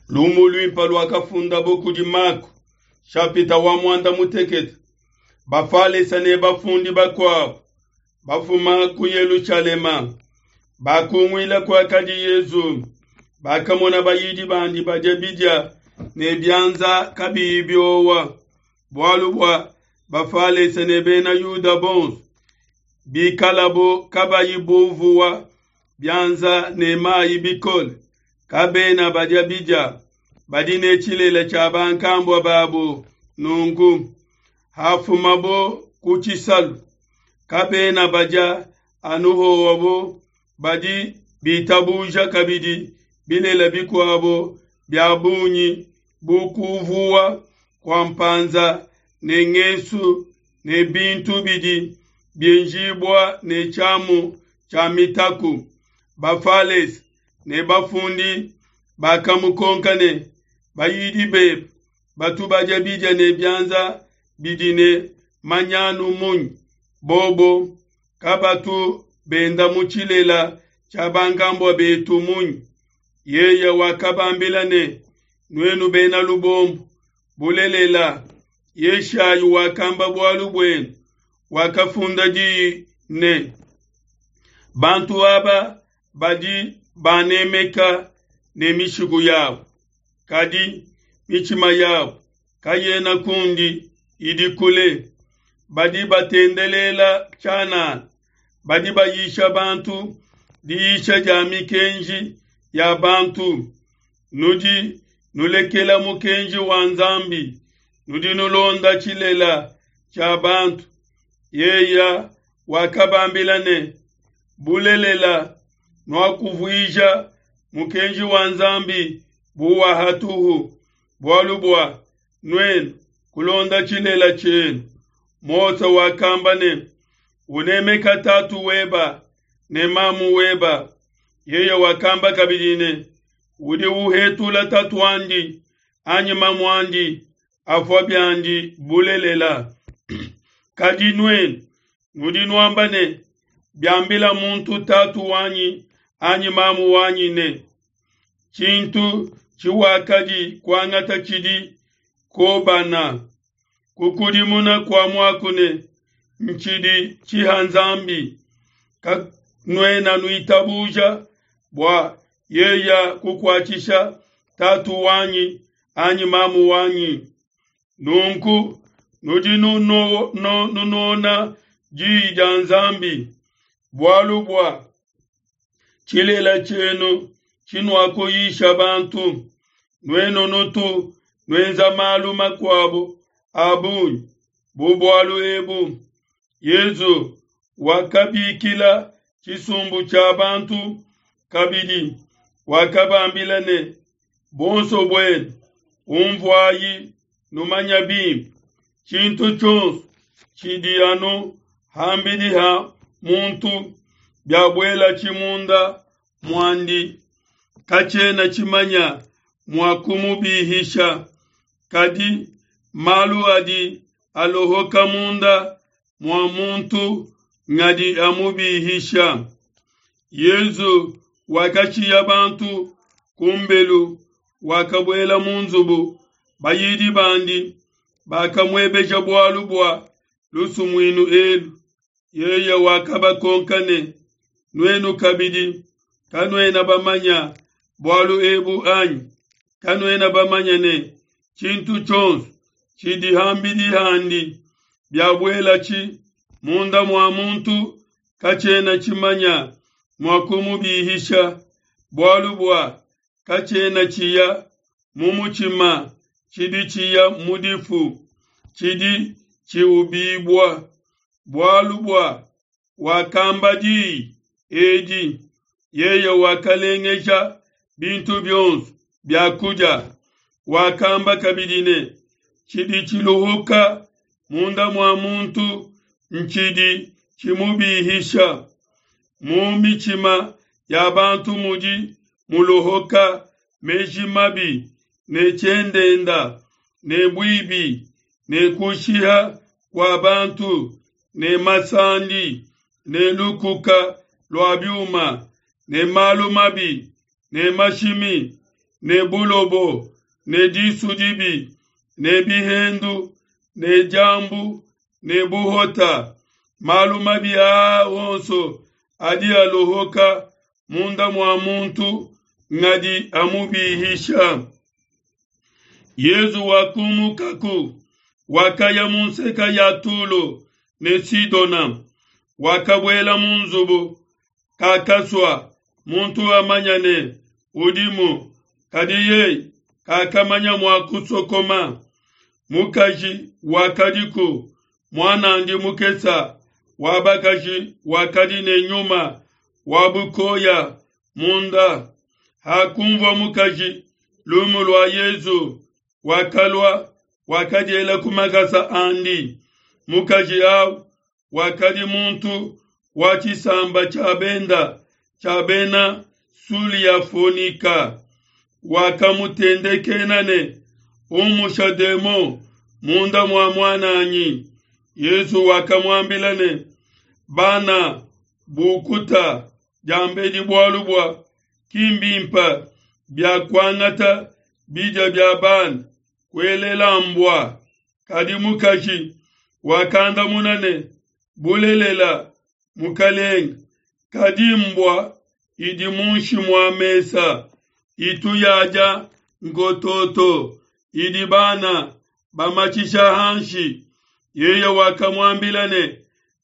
Lumu luimpe luakafundabo kudi Mako, shapita wa muanda mutekete. Bafalesa ne bafundi bakuabo bafuma ku Yelushalema bakunguila kuakadi Yezu, bakamona bayidi bandi badia bidia ne bianza kabiyi biowa, bualu bua Bafalesa ne Bena Yuda bonso bikalabo kabayi buvuwa bianza ne mayi bikole, kabena badia bidia, badi ne tshilele tshia bankambua babo. Nunku hafumabo ku tshisalu, kabena badia anu howabo, badi bitabuja kabidi bilele bikuabo bia bungi bu kuvuwa kua mpanza ne ngesu ne bintu bidi bienjibua ne tshiamu tshia mitaku. Bafalese ne bafundi bakamukonka ne, Bayidi bebe batu badia bidia ne bianza bidi ne manyanu munyi? Bobo kabatu benda mu tshilela tshia bankambua betu munyi? Yeye wakabambila ne, Nuenu bena lubombo, bulelela, Yeshayi wakamba bualu buenu, wakafunda diyi ne, Bantu aba badi banemeka ne mishiku yabo, kadi mitshima yabo kayena kundi, idi kule. Badi batendelela tshianana, badi bayisha bantu diyisha dia mikenji ya bantu. Nudi nulekela mukenji wa Nzambi, nudi nulonda tshilela tshia bantu. Yeye wakabambila ne, Bulelela, nuakuvuija mukenji wa Nzambi bu wa hatuhu, bualu bua nuenu kulonda tshilela tshienu. Mose wakamba ne, Unemeka tatu weba ne mamu weba. Yeye wakamba kabidi ne, Udi uhetula tatu'andi anyi mamu'andi afua biandi bulelela. Kadi nuenu nudi nuamba ne, Biambila muntu tatu wanyi anyi mamu wanyi ne, Tshintu tshiwakadi kuangata tshidi kobana, kukudimuna kua muaku ne, Ntshidi tshiha Nzambi, kanuena nuitabuja bua yeya kukuatshisha tatu wanyi anyi mamu wanyi. Nunku nudi nunona diyi dia Nzambi, bualu bua tshilela tshienu tshinuakuyisha bantu. Nuenu nutu nuenza malu makuabo a bungi bu bualu ebu. Yezu wakabikila tshisumbu tshia bantu kabidi, wakabambila ne, Buonso buenu unvuayi, numanya bimpe, tshintu tshionso tshidi anu ham'bidi ha muntu, biabuelatshi munda muandi, katshiena tshimanya mua kumubihisha, kadi malu adi alohoka munda mua muntu ngadi amubihisha. Yezu wakashiya bantu kumbelu, wakabuela mu nzubu. Bayidi bandi bakamuebeja bualu bua lusumuinu elu. Yeye wakabakonka ne, Nuenu kabidi kanuena bamanya bualu ebu anyi? Kanuena bamanya ne, tshintu tshionso tshidi ham'bidi handi biabuelatshi munda mua muntu katshiena tshimanya mua kumubihisha, bualu bua katshiena tshiya mu mutshima, tshidi tshiya mu difu, tshidi tshiubibua. Bualu bua wakamba diyi edi, yeye wakalengeja bintu bionso bia kudia. Wakamba kabidi ne, Tshidi tshiluhuka munda mua muntu ntshidi tshimubihisha. Mu mitshima ya bantu mudi mulohoka meji mabi ne tshiendenda ne buibi ne kushiha kua bantu ne masandi ne lukuka lua biuma ne malu mabi ne mashimi. ne bulobo ne disu dibi ne bihendu ne diambu ne buhota. Malu mabi aa onso adi alohoka munda mua muntu ngadi amubihisha. Yezu wakumukaku, wakaya mu nseka ya Tulo ne Sidona, wakabuela mu nzubu, kakasua muntu amanya ne udimu, kadi yeye kakamanya mua kusokoma. Mukaji wakadiku, muanandi mukesa wa bakaji wakadi ne nyuma wa bukoya munda. Hakunvua mukaji lumu lua Yezu, wakalua, wakadiela ku makasa andi. Mukaji au wakadi muntu wa tshisamba tshia benda tshia bena Suliafonika, wakamutendekena ne, Umusha demon munda mua muananyi. Yezu wakamuambila ne, Bana bukuta diambedi bualu bua ki mbimpe bia kuangata bidia bia bana kuelela mbua. Kadi mukaji wakandamuna ne, Bulelela, Mukalenge, kadi mbua idi munshi mua mesa itu yadia ngototo idi bana bamatshisha hanshi. Yeye wakamuambila ne,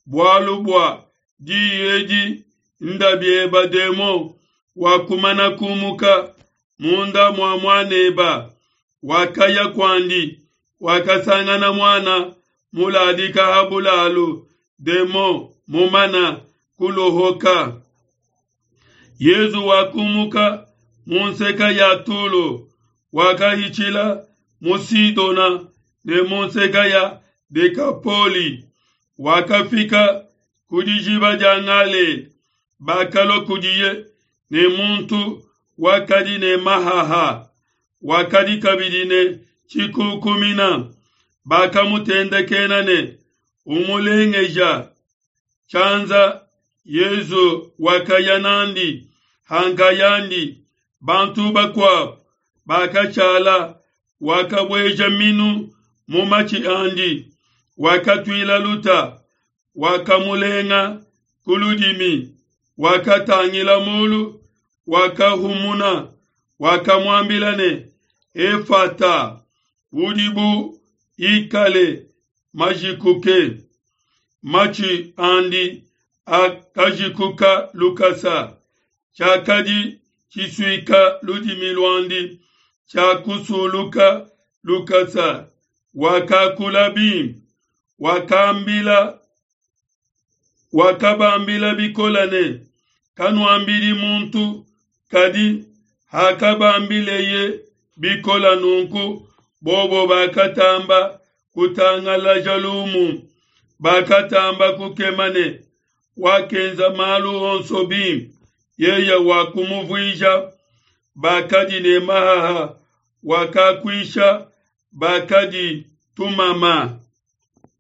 Bualu bua diyi edi nda bieba demon wakumana kumuka munda mua muaneba. Wakaya kuandi, wakasangana muana muladika ha bulalu, demon mumana kulohoka. Yezu wakumuka mu nseka ya Tulo, wakahitshila mu Sidona ne mu nseka ya Dekapoli, wakafika ku dijiba dia Galela. Bakalua kudiye ne muntu wakadi ne mahaha, wakadi kabidi ne tshikukumina. Bakamutendekena ne, Umulengeja tshianza. Yezu wakaya nandi hankayandi, bantu bakuabo bakashala. Wakabueja minu mu matshi andi, wakatuila luta, wakamulenga ku ludimi, wakatangila mulu, wakahumuna, wakamuambila ne, Efata, udi bu ikale majikuke. Matshi andi akajikuka lukasa, tshiakadi tshisuika ludimi luandi tshiakusuluka lukasa, wakakula bimpe, wakambila wakabambila bikole ne, Kanuambidi muntu. Kadi hakabambileye bikole nunku, bobo bakatamba kutangalaja lumu, bakatamba kukema ne, Wakenza malu onso bimpe, yeye wakumuvuija bakadi ne mahaha, wakakuisha bakadi tumama.